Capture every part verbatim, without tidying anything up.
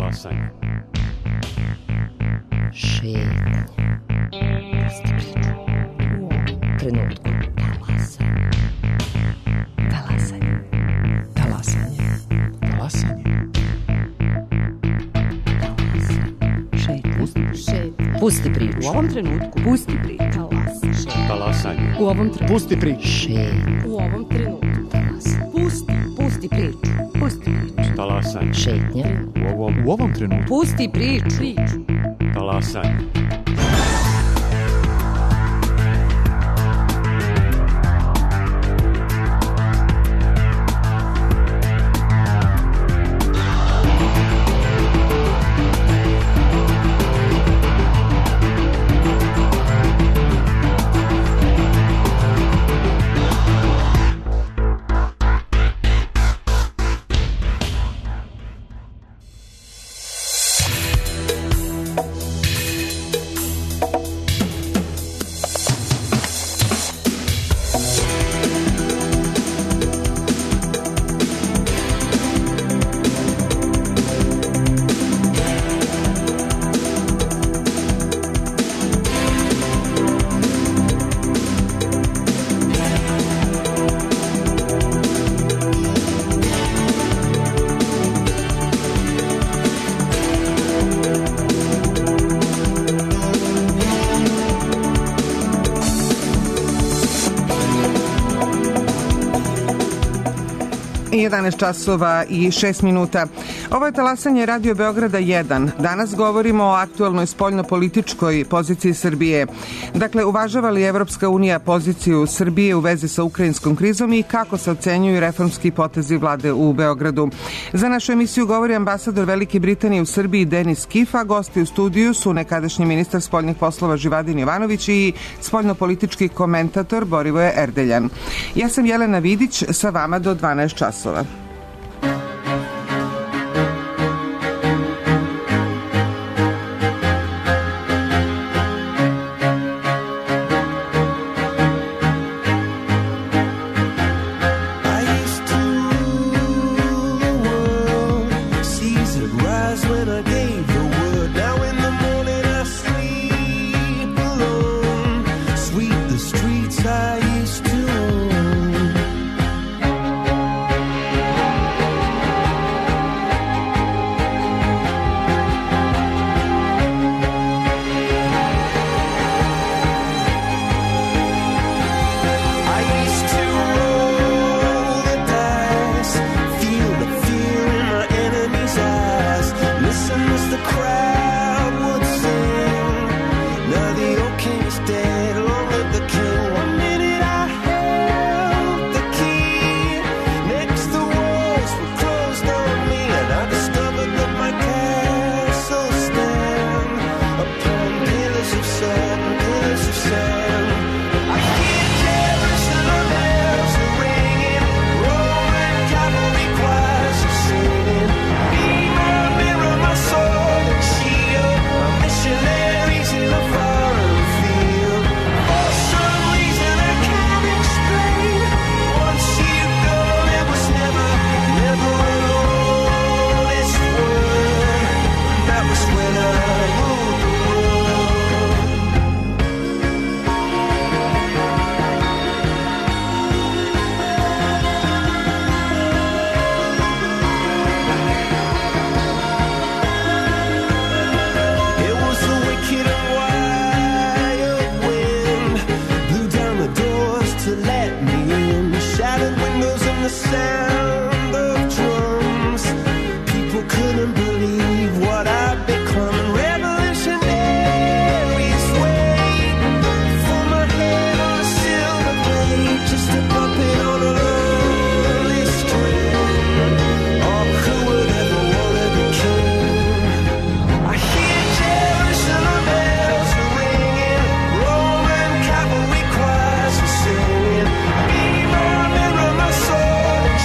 Talasanje. Šetnja. Pusti priču. U ovom trenutku. Talasanje. Talasanje. Talasanje. Talasanje. Šetnja. Pusti priču. Šetnja. Pusti priču. U ovom trenutku. Pusti priču. Talasanje. Talasanje. U ovom trenutku. Pusti priču. Šetnja. U ovom trenutku. Talasanje. Pusti. Pusti priču. Pusti priču. Talasanje. Šetnja. U ovom, u ovom trenutku. Pusti priču. Priču. Talasanje. jedanaest časova i šest minuta. Ovo je Talasanje Radio Beograda jedan. Danas govorimo o aktuelnoj spoljnopolitičkoj poziciji Srbije. Dakle, uvažava li Evropska unija poziciju Srbije u vezi sa ukrajinskom krizom i kako se ocenjuju reformski potezi vlade u Beogradu. Za našu emisiju govori ambasador Velike Britanije u Srbiji Denis Kifa. Gosti u studiju su nekadašnji ministar spoljnih poslova Živadin Jovanović i spoljnopolitički komentator Borivoje Erdeljan. Ja sam Jelena Vidić, sa vama do dvanaest časova.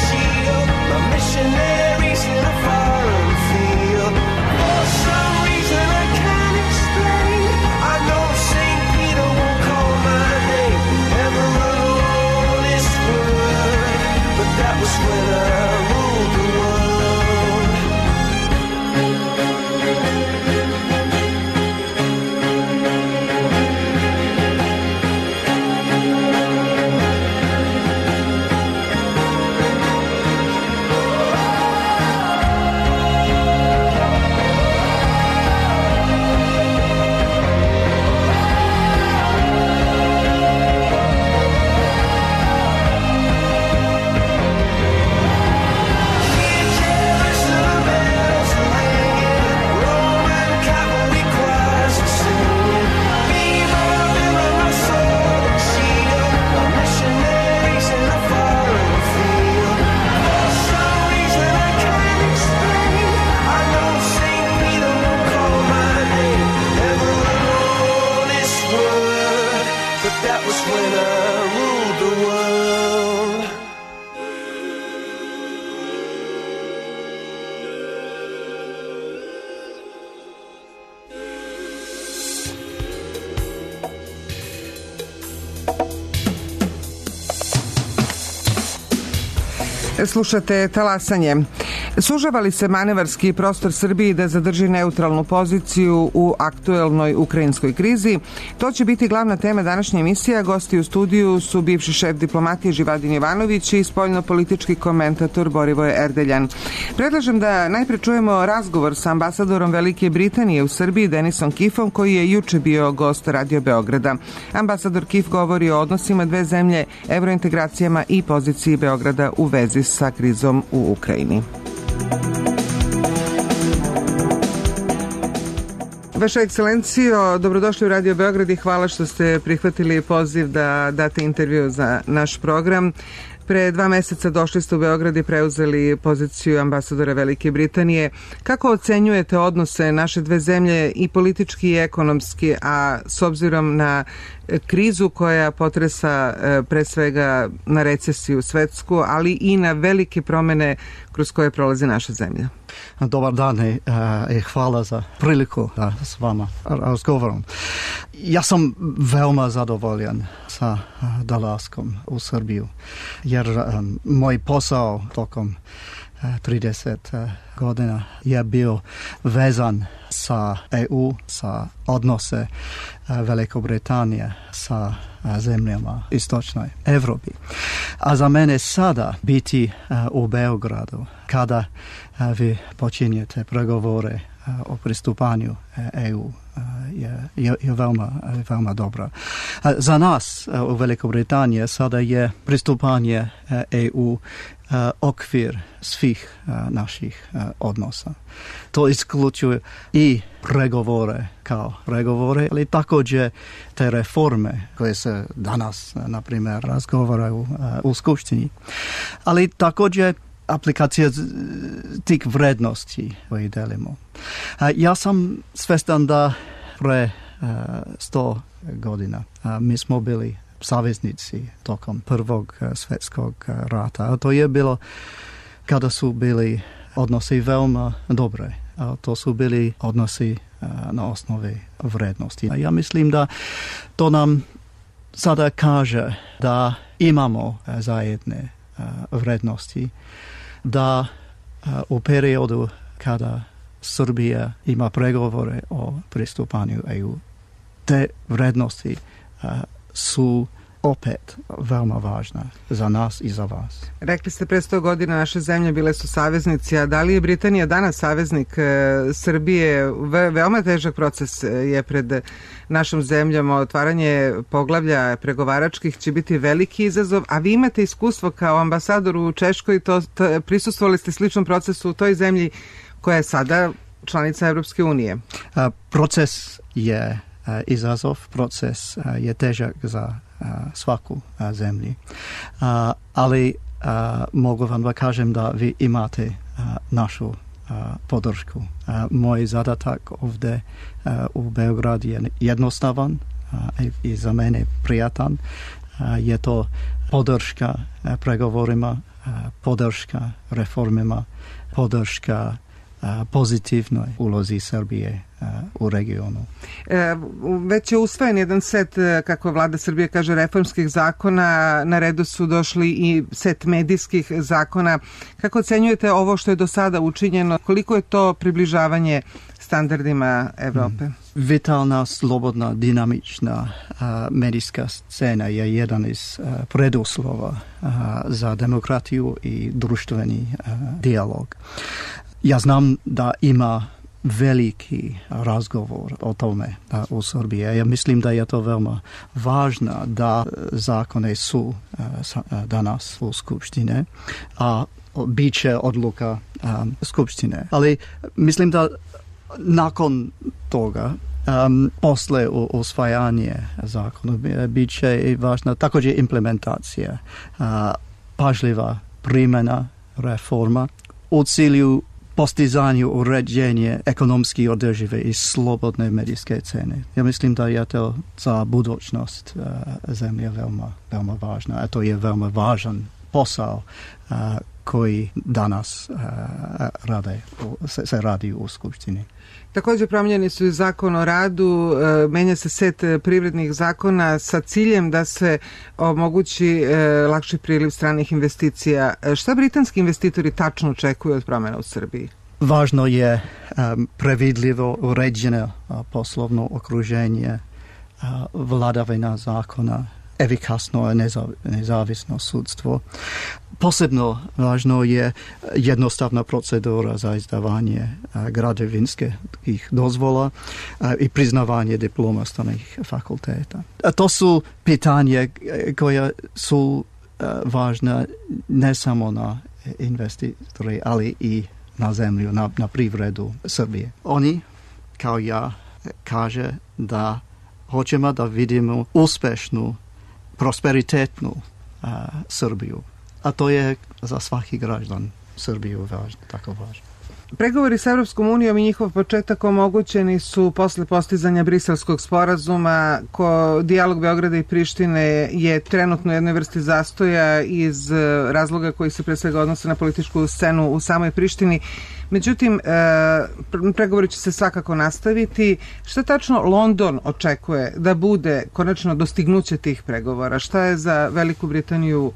She Slušate Talasanje. Sužava li se manevarski prostor Srbiji da zadrži neutralnu poziciju u aktuelnoj ukrajinskoj krizi? To će biti glavna tema današnje emisije. Gosti u studiju su bivši šef diplomatije Živadin Jovanović i spoljnopolitički komentator Borivoje Erdeljan. Predlažem da najpre čujemo razgovor sa ambasadorom Velike Britanije u Srbiji Denisom Kiffom, koji je juče bio gost Radio Beograda. Ambasador Kiff govori o odnosima dve zemlje, evrointegracijama i poziciji Beograda u vezi sa krizom u Ukrajini. Vaša ekscelencijo, dobrodošli u Radio Beograd i hvala što ste prihvatili poziv da date intervju za naš program. Pre dva meseca došli ste u Beograd i preuzeli poziciju ambasadora Velike Britanije. Kako ocenjujete odnose naše dve zemlje i politički i ekonomski, a s obzirom na krizu koja potresa pre svega na recesiju svetsku, ali i na velike promene kroz koje prolazi naša zemlja? Dobar dan i hvala za priliku da s vama razgovaram. Ja sam veoma zadovoljan sa dolaskom u Srbiju, jer um, moj posao tokom trideset godina je bio vezan sa E U, sa odnose Velike Britanije sa zemljama istočnoj Evropi. A za mene sada biti u Beogradu kada vi počinjete pregovore o pristupanju E U je, je, je veoma, veoma dobro. Za nas u Velikoj Britaniji sada je pristupanje E U okvir svih naših odnosa. To isključuje i pregovore kao pregovore, ali također te reforme koje se danas, na primjer, razgovaraju u Skupštini. Ali također aplikacija tih vrednosti koje delimo. Ja sam svestan da pre sto godina mi smo bili saveznici tokom Prvog svjetskog rata. A to je bilo kada su bili odnosi veoma dobre. A to su bili odnosi na osnovi vrednosti. A ja mislim da to nam sada kaže da imamo zajedne vrednosti, da u periodu kada Srbija ima pregovore o pristupanju E U, te vrednosti su opet veoma važna za nas i za vas. Rekli ste pre sto godina naše zemlje bile su saveznici, a da li je Britanija danas saveznik e, Srbije? Ve, veoma težak proces je pred našom zemljom. Otvaranje poglavlja pregovaračkih će biti veliki izazov, a vi imate iskustvo kao ambasador u Češkoj, to, to, prisustvovali ste sličnom procesu u toj zemlji koja je sada članica Evropske unije. A, proces je a, izazov, proces a, je težak za a, svaku a, zemlji. A, ali a, mogu vam da kažem da vi imate a, našu a, podršku. A, moj zadatak ovdje a, u Beogradu je jednostavan a, i, i za mene prijatan. A, je to podrška a, pregovorima, a, podrška reformima, podrška pozitivnoj ulozi Srbije u regionu. E, već je usvojen jedan set, kako vlada Srbije kaže, reformskih zakona. Na redu su došli i set medijskih zakona. Kako ocenjujete ovo što je do sada učinjeno? Koliko je to približavanje standardima Evrope? Mm. Vitalna, slobodna, dinamična a, medijska scena je jedan iz a, preduslova a, za demokratiju i društveni a, dijalog. Ja znam da ima veliki razgovor o tome da, u Srbiji. Ja mislim da je to veoma važno da zakone su a, danas u Skupštine, a bit će odluka a, Skupštine. Ali mislim da nakon toga, um, posle usvajanje zakona, bit će i važna također implementacija, a, pažljiva primjena reforma u cilju postizanju uređenja ekonomski održive i slobodne medijske scene. Ja mislim da je to za budućnost uh, zemlje veoma, veoma važno. A to je veoma važan posao koji danas rade, se, se radi u Skupštini. Također promijenjeni su i zakon o radu, menja se set privrednih zakona sa ciljem da se omogući lakši priliv stranih investicija. Šta britanski investitori tačno očekuju od promjena u Srbiji? Važno je um, previdljivo uređeno uh, poslovno okruženje, uh, vladavina zakona, efikasno nezav, nezavisno sudstvo. Posebno važno je jednostavna procedura za izdavanje uh, građevinskih dozvola uh, i priznavanje diploma stranih fakulteta. A to su pitanje koje su uh, važne ne samo na investitori, ali i na zemlju, na, na privredu Srbije. Oni, kao ja, kaže da hoćemo da vidimo uspešnu, prosperitetnu uh, Srbiju. A to je za svaki građan Srbiju važno, tako važno. Pregovori s Evropskom unijom i njihov početak omogućeni su posle postizanja Briselskog sporazuma. Ko dijalog Beograda i Prištine je trenutno u jednoj vrsti zastoja iz razloga koji se pre svega odnose na političku scenu u samoj Prištini. Međutim, pregovori će se svakako nastaviti. Šta tačno London očekuje da bude konačno dostignuće tih pregovora? Šta je za Veliku Britaniju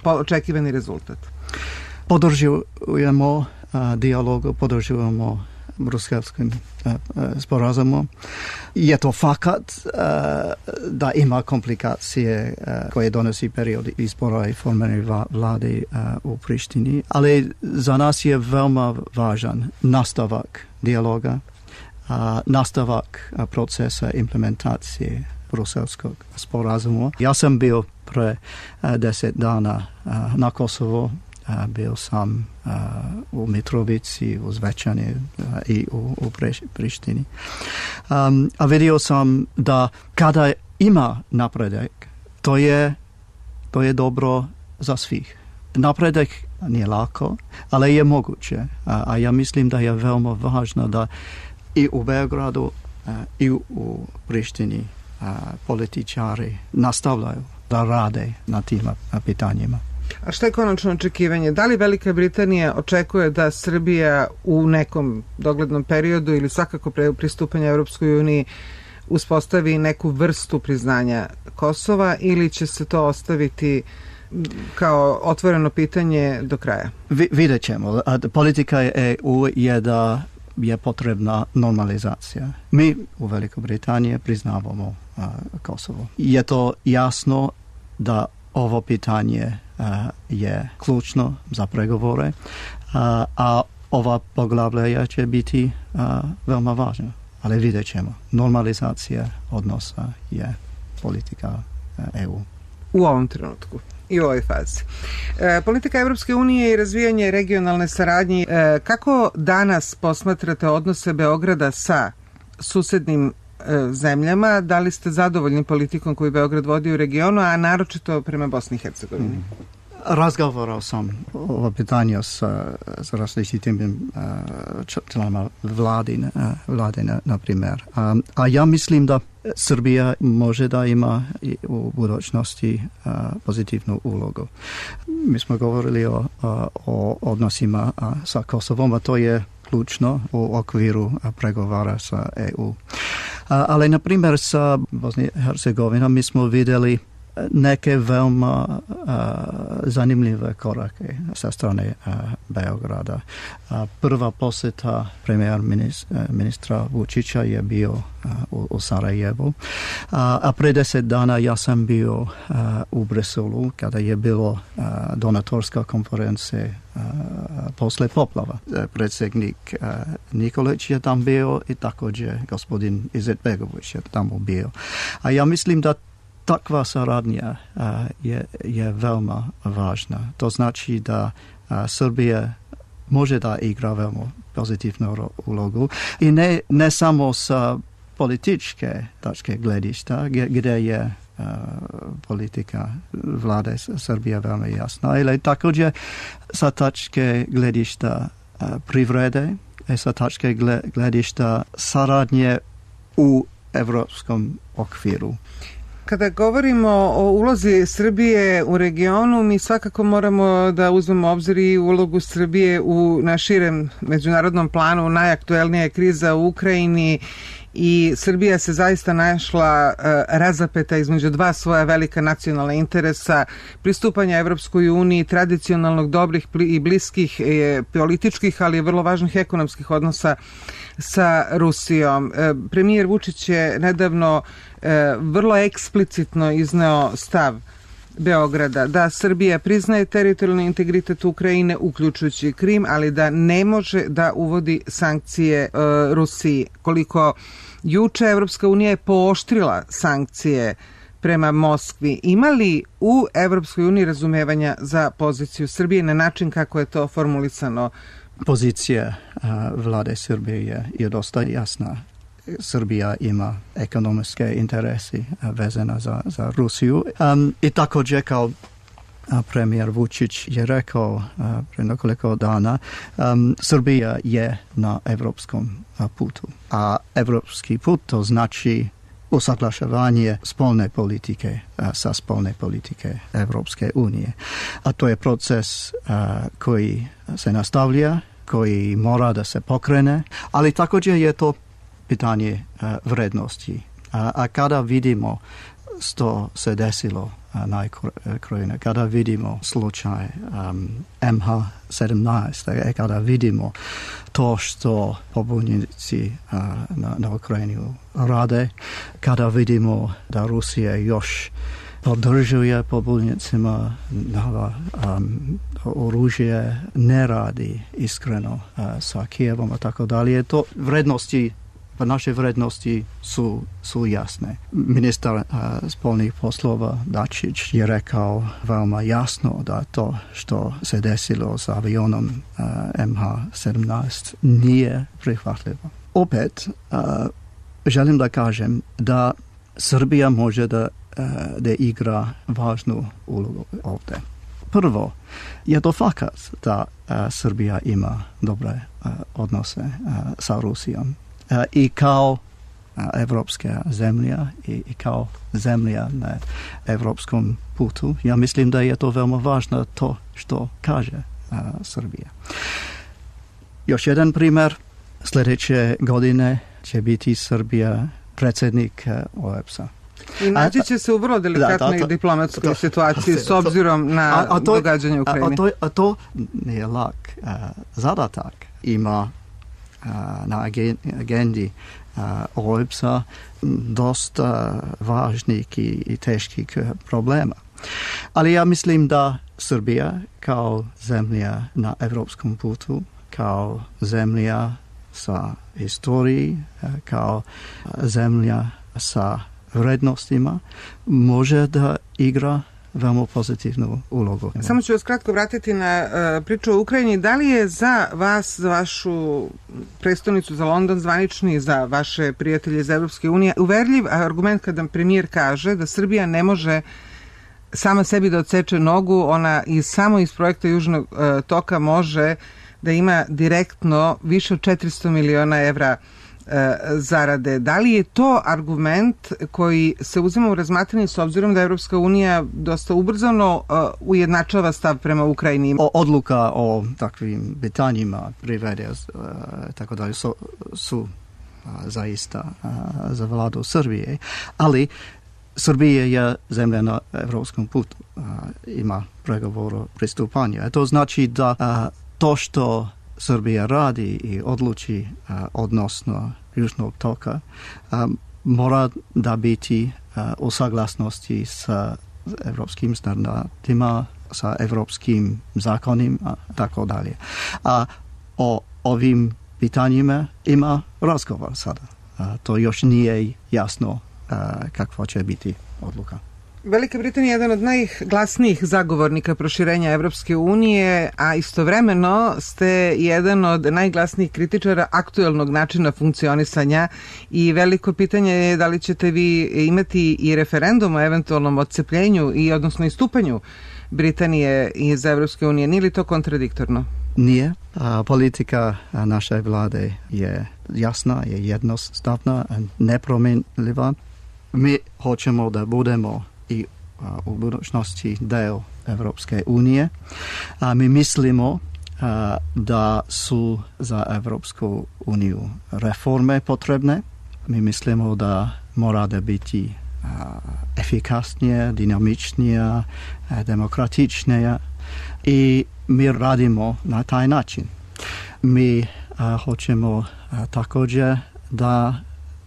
očekivani rezultat? Podržujemo dijalogu, podržujemo bruselskim sporazumom. Je to fakat da ima komplikacije koje donosi period izbora i formiranja vlade u Prištini, ali za nas je veoma važan nastavak dijaloga, nastavak procesa implementacije bruselskog sporazuma. Ja sam bio pre deset dana na Kosovo. Bio sam uh, u Mitrovici, u Zvečani uh, i u, u Prištini. Um, a vidio sam da kada ima napredak, to je, to je dobro za svih. Napredak nije lako, ali je moguće. A, a ja mislim da je veoma važno da i u Beogradu uh, i u, u Prištini uh, političari nastavljaju da rade na tim pitanjima. A šta je konačno očekivanje? Da li Velika Britanija očekuje da Srbija u nekom doglednom periodu ili svakako pre pristupanja Evropskoj uniji uspostavi neku vrstu priznanja Kosova ili će se to ostaviti kao otvoreno pitanje do kraja? Vi, vidjet ćemo. Politika E U je da je potrebna normalizacija. Mi u Velikoj Britaniji priznavamo uh, Kosovo. Je to jasno da ovo pitanje uh, je ključno za pregovore, uh, a ova poglavlja će biti uh, veoma važna. Ali vidjet ćemo. Normalizacija odnosa je politika uh, E U. U ovom trenutku i u ovoj fazi. E, politika Evropske unije i razvijanje regionalne saradnje. E, kako danas posmatrate odnose Beograda sa susednim zemljama? Da li ste zadovoljni politikom koju Beograd vodi u regionu, a naročito prema Bosni i Hercegovini? Mm. Razgovarao sam o pitanju sa, sa različitim uh, članama vladine, uh, vladine, na primjer. A, a ja mislim da Srbija može da ima i u budućnosti uh, pozitivnu ulogu. Mi smo govorili o, o, o odnosima uh, sa Kosovom, a to je ključno u okviru pregovara sa E U. Ali, na primjer, sa Bosni i Hercegovinom mi smo vidjeli neke veoma uh, zanimljive korake sa strane uh, Beograda. Uh, prva posjeta premijer ministra, ministra Vučića je bio uh, u, u Sarajevu. Uh, a pre deset dana ja sam bio uh, u Briselu kada je bilo uh, donatorska konferencija uh, posle poplava. Uh, predsjednik uh, Nikolić je tam bio i također gospodin Izetbegović je tamo bio. A ja mislim da takva saradnja uh, je, je veoma važna. To znači da uh, Srbija može da igra veoma pozitivnu ulogu i ne, ne samo sa političke tačke gledišta, gdje je uh, politika vlade Srbije veoma jasna, ili također sa tačke gledišta uh, privrede i sa tačke gledišta saradnje u evropskom okviru. Kada govorimo o ulozi Srbije u regionu, mi svakako moramo da uzmemo u obzir i ulogu Srbije u na širem međunarodnom planu. Najaktuelnija je kriza u Ukrajini i Srbija se zaista našla uh, razapeta između dva svoja velika nacionalna interesa, pristupanja Evropskoj uniji, tradicionalnog dobrih i bliskih e, političkih, ali vrlo važnih ekonomskih odnosa sa Rusijom. E, premijer Vučić je nedavno e, vrlo eksplicitno izneo stav Beograda da Srbija priznaje teritorijalni integritet Ukrajine, uključujući Krim, ali da ne može da uvodi sankcije e, Rusiji. Koliko juče Evropska unija je pooštrila sankcije prema Moskvi. Ima li u Evropskoj uniji razumevanja za poziciju Srbije na način kako je to formulisano? Pozicija a, vlade Srbije je, je dosta jasna. Srbija ima ekonomske interesi vezana za, za Rusiju. Um, I također kao premijer Vučić je rekao uh, pre nekoliko dana, um, Srbija je na evropskom uh, putu. A evropski put to znači usaglašavanje spolne politike uh, sa spolne politike Evropske unije. A to je proces uh, koji se nastavlja, koji mora da se pokrene, ali također je to pitanje uh, vrednosti. A, a kada vidimo što se desilo na Ukrajini, kada vidimo slučaj um, M H sedamnaest, kada vidimo to što pobunjenici uh, na, na Ukrajini rade, kada vidimo da Rusija još podržuje pobunjenicima, da um, oružje ne radi iskreno uh, sa Kijevom, a tako dalje. To vrednosti Pa naše vrednosti su, su jasne. Ministar uh, spolnih poslova Dačić je rekao veoma jasno da to što se desilo s avionom uh, M H sedamnaest nije prihvatljivo. Opet, uh, želim da kažem da Srbija može da, uh, da igra važnu ulogu ovdje. Prvo, je to fakat da uh, Srbija ima dobre uh, odnose uh, sa Rusijom. Uh, i kao uh, evropska zemlja i, i kao zemlja na evropskom putu. Ja mislim da je to veoma važno to što kaže uh, Srbija. Još jedan primjer, sljedeće godine će biti Srbija predsjednik uh, O E B S-a. I naći će se u vrlo delikatnoj da, to, diplomatskoj to, situaciji to, s obzirom na a, a to, događanje u Ukrajini. A, a, to, a to nije lak uh, zadatak. Ima na agendi O E B S-a dosta važnih i, i teških problema. Ali ja mislim da Srbija kao zemlja na evropskom putu, kao zemlja sa historiji, kao zemlja sa vrednostima, može da igra veoma pozitivnu ulogu. Samo ću vas kratko vratiti na uh, priču o Ukrajini. Da li je za vas, za vašu prestonicu, za London zvanični, za vaše prijatelje iz Evropske unije, uverljiv argument kada premijer kaže da Srbija ne može sama sebi da odseče nogu, ona i samo iz projekta Južnog uh, toka može da ima direktno više od četiristo miliona evra zarade. Da li je to argument koji se uzima u razmatranje s obzirom da Evropska unija dosta ubrzano uh, ujednačava stav prema Ukrajini? O, odluka o takvim pitanjima privede uh, tako dalje su, su uh, zaista uh, za vladu Srbije, ali Srbija je zemlja na evropskom putu, uh, ima pregovor o pristupanju. To znači da uh, to što Srbija radi i odluči uh, odnosno Južnog toka um, mora da biti uh, u saglasnosti sa evropskim standardima, sa evropskim zakonima, tako dalje. A o ovim pitanjima ima razgovor sada. Uh, to još nije jasno uh, kakva će biti odluka. Velika Britanija je jedan od najglasnijih zagovornika proširenja Evropske unije, a istovremeno ste jedan od najglasnijih kritičara aktuelnog načina funkcionisanja i veliko pitanje je da li ćete vi imati i referendum o eventualnom odcepljenju i odnosno istupanju Britanije iz Evropske unije. Nije li to kontradiktorno? Nije. A, politika naše vlade je jasna, je jednostavna, nepromenljiva. mi hoćemo da budemo i a, u budućnosti deo Evropske unije. A mi mislimo a, da su za Evropsku uniju reforme potrebne. Mi mislimo da mora da biti a, efikasnije, dinamičnija, a, demokratičnija i mi radimo na taj način. Mi a, hoćemo a, također da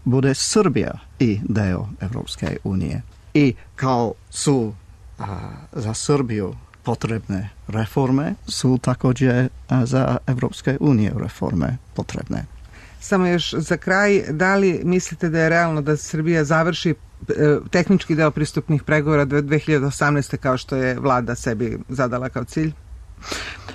bude Srbija i deo Evropske unije. I kao su a, za Srbiju potrebne reforme, su također a, za Evropske unije reforme potrebne. Samo još za kraj, da li mislite da je realno da Srbija završi e, tehnički deo pristupnih pregovora do dve hiljade osamnaeste kao što je vlada sebi zadala kao cilj?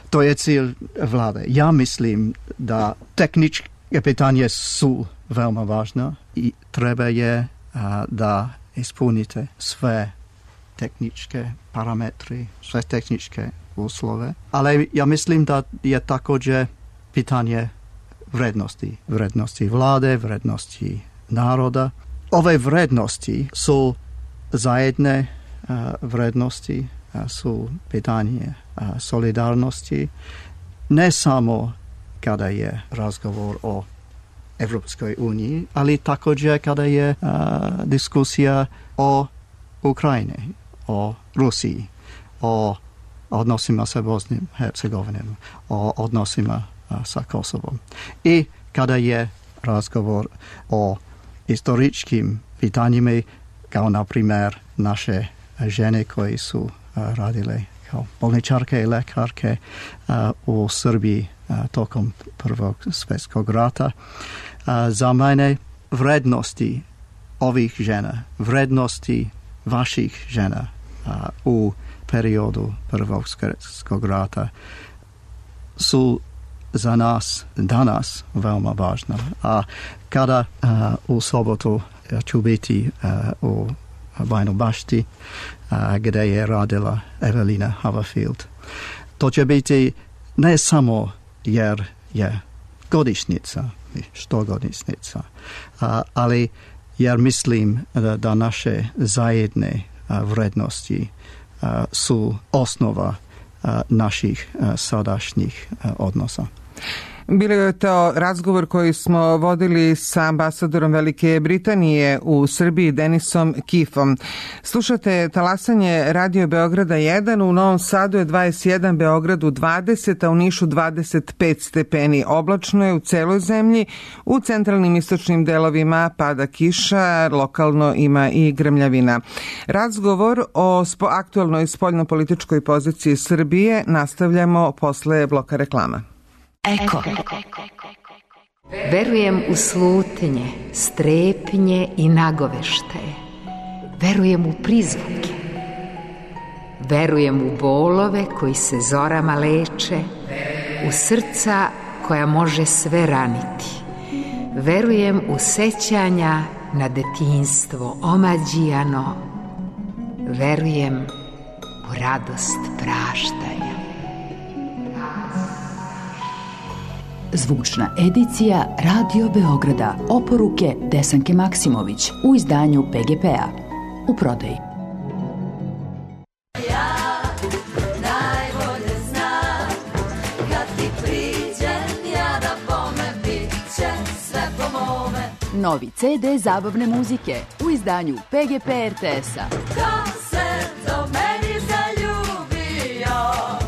To je cilj vlade. Ja mislim da tehničke pitanje su veoma važna i treba je a, da ispunite sve tehničke parametri, sve tehničke uslove. Ali ja mislim da je također pitanje vrednosti. Vrednosti vlade, vrednosti naroda. Ove vrednosti su zajedne a, vrednosti, a, su pitanje a, solidarnosti, ne samo kada je razgovor o Evropskoj uniji, ali također kada je a, diskusija o Ukrajini, o Rusiji, o odnosima sa Bosnim Hercegovinom, o odnosima a, sa Kosovom. I kada je razgovor o historičkim pitanjima, kao na primjer naše žene koji su a, radile kao bolničarke i lekarke a, u Srbiji a, tokom Prvog svjetskog rata. A, za mene vrednosti ovih žena, vrednosti vaših žena a, u periodu Prvog svjetskog rata su za nas danas veoma važna. A kada a, u sobotu a, ću biti a, u Bajnoj Bašti a, gdje je radila Evelina Haverfield, to će biti ne samo jer je godišnjica, što godišnjica, a, ali jer mislim da, da naše zajedne a, vrednosti a, su osnova a, naših a, sadašnjih a, odnosa. Bilo je to razgovor koji smo vodili sa ambasadorom Velike Britanije u Srbiji Denisom Kifom. Slušate talasanje Radio Beograda jedan, u Novom Sadu je dvadeset jedan, Beogradu dvadeset, a u Nišu dvadeset pet stepeni. Oblačno je u celoj zemlji, u centralnim istočnim delovima pada kiša, lokalno ima i grmljavina. Razgovor o spo, aktualnoj spoljnopolitičkoj poziciji Srbije nastavljamo posle bloka reklama. Eko. Verujem u slutnje, strepnje i nagoveštaje. Verujem u prizvuke. Verujem u bolove koji se zorama leče, u srca koja može sve raniti. Verujem u sećanja na detinjstvo omađijano. Verujem u radost praštanja. Zvučna edicija Radio Beograda, oporuke Desanke Maksimović u izdanju P G P-a. U prodaji. Ja najbolje znam, kad ti priđem, ja da bome bit će sve po mome. Novi ce de zabavne muzike u izdanju P G P R T S-a. Ko se do meni zaljubio?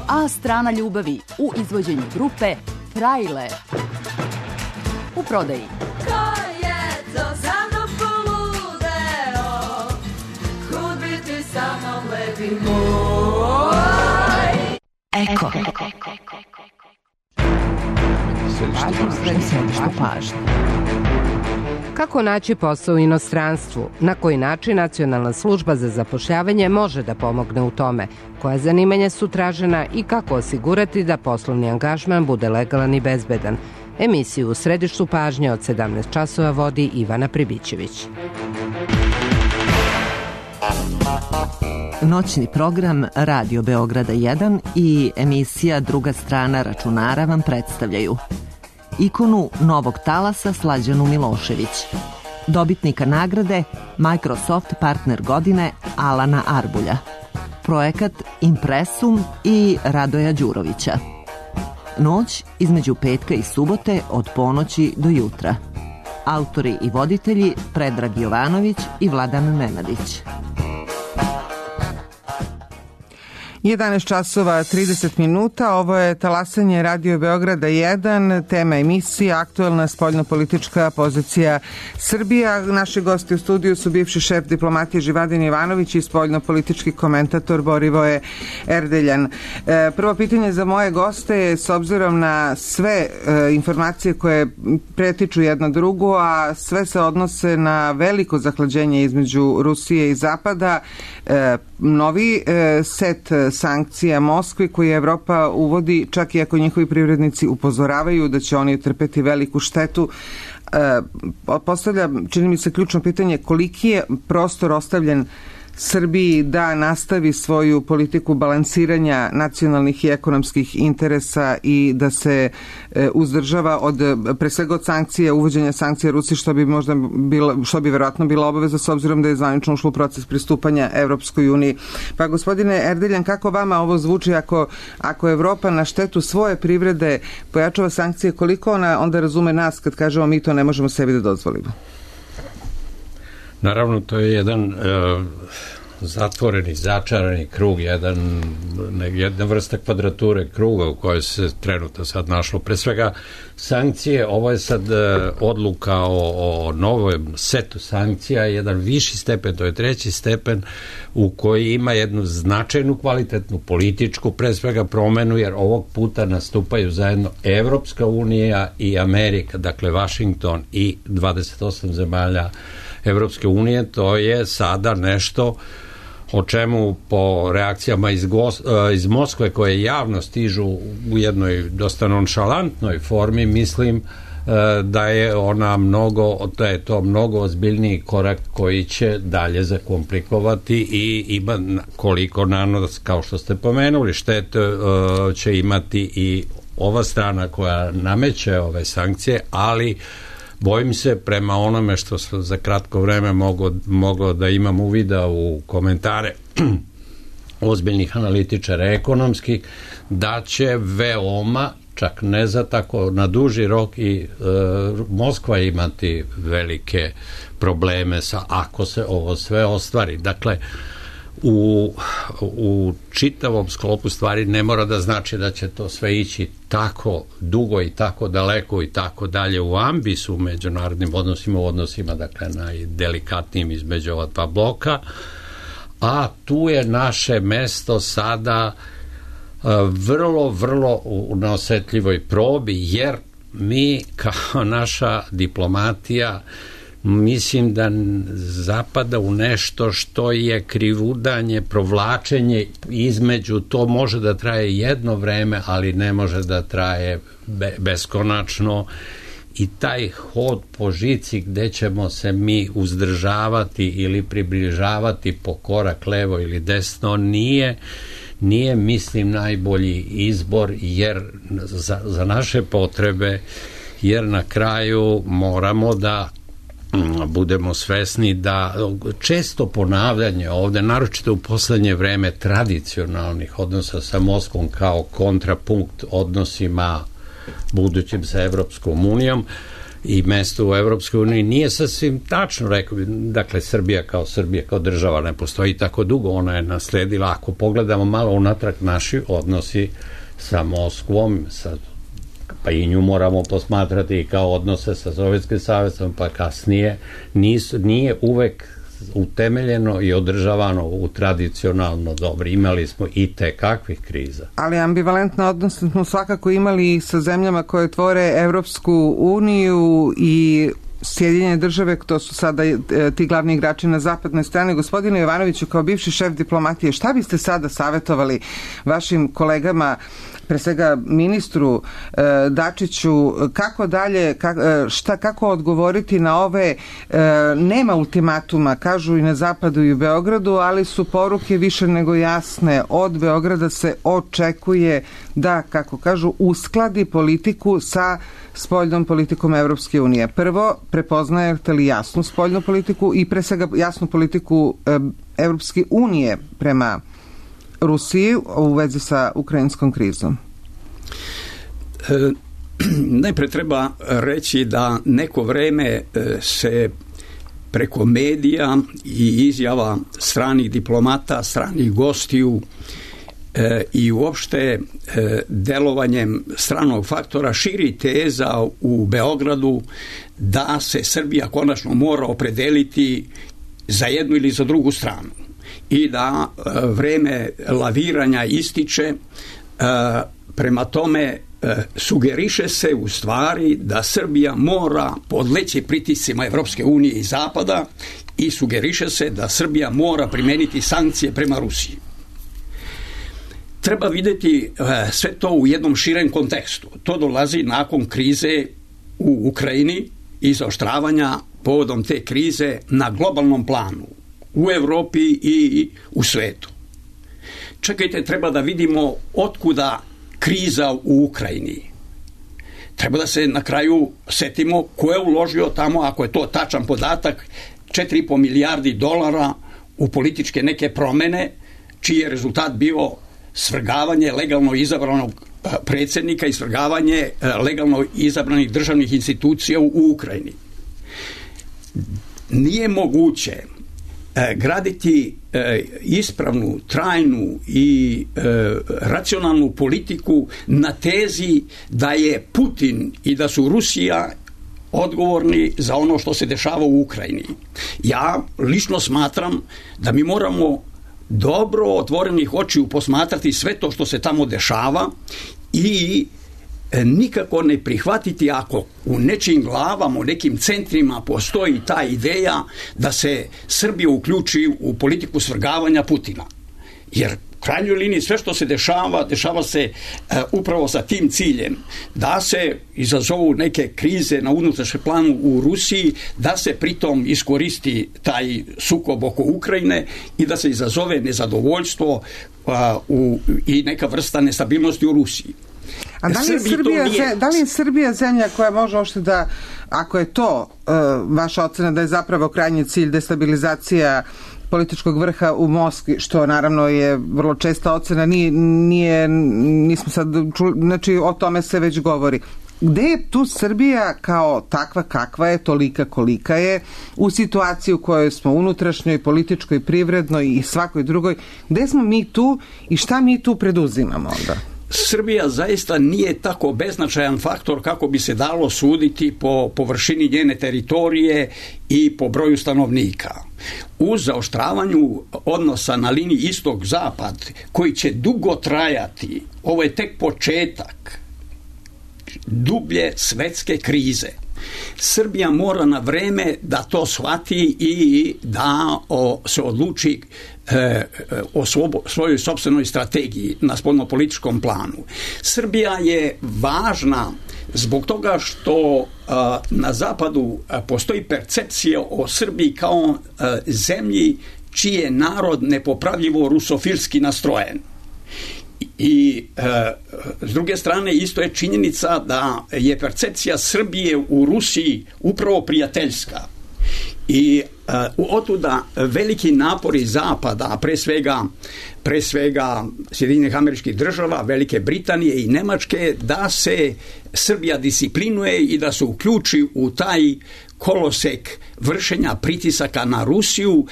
A strana ljubavi u izvođenju grupe Frajle. U prodaji. Ko je to za mnom poludeo? Kud bi ti sa mnom lepi moj? Eko. Središte pažnje. Kako naći posao u inostranstvu? Na koji način Nacionalna služba za zapošljavanje može da pomogne u tome? Koja zanimanja su tražena i kako osigurati da poslovni angažman bude legalan i bezbedan? Emisiju u središtu pažnje od sedamnaest časova vodi Ivana Pribićević. Noćni program Radio Beograda jedan i emisija Druga strana računara vam predstavljaju ikonu novog talasa Slađanu Milošević, dobitnika nagrade Microsoft partner godine Alana Arbulja, projekat Impresum i Radoja Đurovića. Noć između petka i subote od ponoći do jutra. Autori i voditelji Predrag Jovanović i Vladan Nenadić. jedanaest časova trideset minuta, ovo je talasanje Radio Beograda jedan, tema emisije aktuelna spoljnopolitička pozicija Srbija. Naši gosti u studiju su bivši šef diplomatije Živadin Jovanović i spoljnopolitički komentator Borivoje Erdeljan. E, prvo pitanje za moje goste je, s obzirom na sve e, informacije koje pretiču jedna drugu, a sve se odnose na veliko zahlađenje između Rusije i Zapada, e, novi e, set sankcija Moskvi koje Evropa uvodi, čak i ako njihovi privrednici upozoravaju da će oni trpeti veliku štetu. E, postavlja, čini mi se, ključno pitanje koliki je prostor ostavljen Srbiji da nastavi svoju politiku balansiranja nacionalnih i ekonomskih interesa i da se e, uzdržava od, pre svega od sankcija, uvođenja sankcija Rusiji, što bi možda bila, što bi verovatno bila obaveza s obzirom da je zvanično ušlo u proces pristupanja Evropskoj uniji. Pa gospodine Erdeljan, kako vama ovo zvuči ako, ako Evropa na štetu svoje privrede pojačava sankcije, koliko ona onda razume nas kad kažemo mi to ne možemo sebi da dozvolimo? Naravno, to je jedan uh, zatvoreni, začarani krug, jedan, jedna vrsta kvadrature kruga u kojoj se trenutno sad našlo. Pre svega, sankcije, ovo je sad uh, odluka o, o novom setu sankcija, jedan viši stepen, to je treći stepen, u koji ima jednu značajnu, kvalitetnu političku, pre svega promenu, jer ovog puta nastupaju zajedno Evropska unija i Amerika, dakle Washington i dvadeset osam zemalja Evropske unije. To je sada nešto o čemu po reakcijama iz, Gos, iz Moskve koje javno stižu u jednoj dosta nonšalantnoj formi, mislim da je ona mnogo, da je to mnogo ozbiljniji korak koji će dalje zakomplikovati i ima koliko nanos, kao što ste pomenuli, štete će imati i ova strana koja nameće ove sankcije, ali bojim se, prema onome što sam za kratko vreme mogao, mogao da imam uvida u komentare ozbiljnih analitičara ekonomskih, da će veoma, čak ne za tako na duži rok, i e, Moskva imati velike probleme sa, ako se ovo sve ostvari. Dakle, u, u čitavom sklopu stvari ne mora da znači da će to sve ići tako dugo i tako daleko i tako dalje u ambisu u međunarodnim odnosima, u odnosima dakle najdelikatnijim između ova dva bloka, a tu je naše mesto sada vrlo, vrlo na osetljivoj probi, jer mi kao naša diplomatija mislim da zapada u nešto što je krivudanje, provlačenje između, to može da traje jedno vreme, ali ne može da traje be, beskonačno, i taj hod po žici gde ćemo se mi uzdržavati ili približavati po korak levo ili desno nije nije mislim najbolji izbor, jer za, za naše potrebe, jer na kraju moramo da budemo svesni da često ponavljanje ovde, naročito u poslednje vreme, tradicionalnih odnosa sa Moskvom kao kontrapunkt odnosima budućim sa Evropskom unijom i mesto u Evropskoj uniji nije sasvim tačno, rekao bi, dakle Srbija kao Srbija kao država ne postoji tako dugo, ona je nasledila, ako pogledamo malo unatrag, naši odnosi sa Moskvom, sa, pa i nju moramo posmatrati kao odnose sa Sovjetskim savezom, pa kasnije, nisu, nije uvek utemeljeno i održavano u tradicionalno dobro. Imali smo i te kakvih kriza. Ali ambivalentna odnos smo svakako imali sa zemljama koje tvore Evropsku uniju i Sjedinjene države, to su sada ti glavni igrači na zapadnoj strani. Gospodine Jovanoviću, kao bivši šef diplomatije, šta biste sada savjetovali vašim kolegama pre svega ministru e, Dačiću, kako dalje, kak, šta, kako odgovoriti na ove, e, nema ultimatuma, kažu i na zapadu i u Beogradu, ali su poruke više nego jasne. Od Beograda se očekuje da, kako kažu, uskladi politiku sa spoljnom politikom Evropske unije. Prvo, prepoznajete li jasnu spoljnu politiku i pre svega jasnu politiku e, Evropske unije prema Rusiji u vezi sa ukrajinskom krizom? E, najpre treba reći da neko vreme se preko medija i izjava stranih diplomata, stranih gostiju e, i uopšte e, delovanjem stranog faktora širi teza u Beogradu da se Srbija konačno mora opredeliti za jednu ili za drugu stranu i da e, vreme laviranja ističe. E, prema tome e, sugeriše se u stvari da Srbija mora podleći pritiscima Evropske unije i Zapada i sugeriše se da Srbija mora primeniti sankcije prema Rusiji. Treba vidjeti e, sve to u jednom širem kontekstu. To dolazi nakon krize u Ukrajini i zaoštravanja povodom te krize na globalnom planu u Evropi i u svetu. Čekajte, treba da vidimo otkuda kriza u Ukrajini. Treba da se na kraju setimo ko je uložio tamo, ako je to tačan podatak, četiri i po milijardi dolara u političke neke promene, čiji je rezultat bio svrgavanje legalno izabranog predsjednika i svrgavanje legalno izabranih državnih institucija u Ukrajini. Nije moguće graditi ispravnu, trajnu i racionalnu politiku na tezi da je Putin i da su Rusija odgovorni za ono što se dešava u Ukrajini. Ja lično smatram da mi moramo dobro otvorenih očiju posmatrati sve to što se tamo dešava i nikako ne prihvatiti ako u nečijim glavama, u nekim centrima postoji ta ideja da se Srbija uključi u politiku svrgavanja Putina. Jer u krajnjoj liniji sve što se dešava, dešava se e, upravo sa tim ciljem da se izazovu neke krize na unutrašnjem planu u Rusiji, da se pritom iskoristi taj sukob oko Ukrajine i da se izazove nezadovoljstvo a, u, i neka vrsta nestabilnosti u Rusiji. A da li je Srbija, nije... da li je Srbija zemlja koja može ošte da, ako je to uh, vaša ocena da je zapravo krajnji cilj destabilizacija političkog vrha u Moskvi, što naravno je vrlo česta ocena, nije, nije nismo sad čuli, znači o tome se već govori. Gde je tu Srbija kao takva kakva je, tolika kolika je, u situaciji u kojoj smo unutrašnjoj, političkoj, privrednoj i svakoj drugoj, gde smo mi tu i šta mi tu preduzimamo onda? Srbija zaista nije tako beznačajan faktor kako bi se dalo suditi po površini njene teritorije i po broju stanovnika. U zaoštravanju odnosa na liniji istok-zapad, koji će dugo trajati, ovo je tek početak dublje svetske krize. Srbija mora na vreme da to shvati i da o, se odluči e, o svobo, svojoj sopstvenoj strategiji na spoljnopolitičkom planu. Srbija je važna zbog toga što a, na zapadu a, postoji percepcija o Srbiji kao a, zemlji čiji je narod nepopravljivo rusofilski nastrojen. I e, s druge strane isto je činjenica da je percepcija Srbije u Rusiji upravo prijateljska i e, otuda veliki napori Zapada, a pre svega, pre svega Sjedinjenih Američkih Država, Velike Britanije i Nemačke, da se Srbija disciplinuje i da se uključi u taj kolosek vršenja pritisaka na Rusiju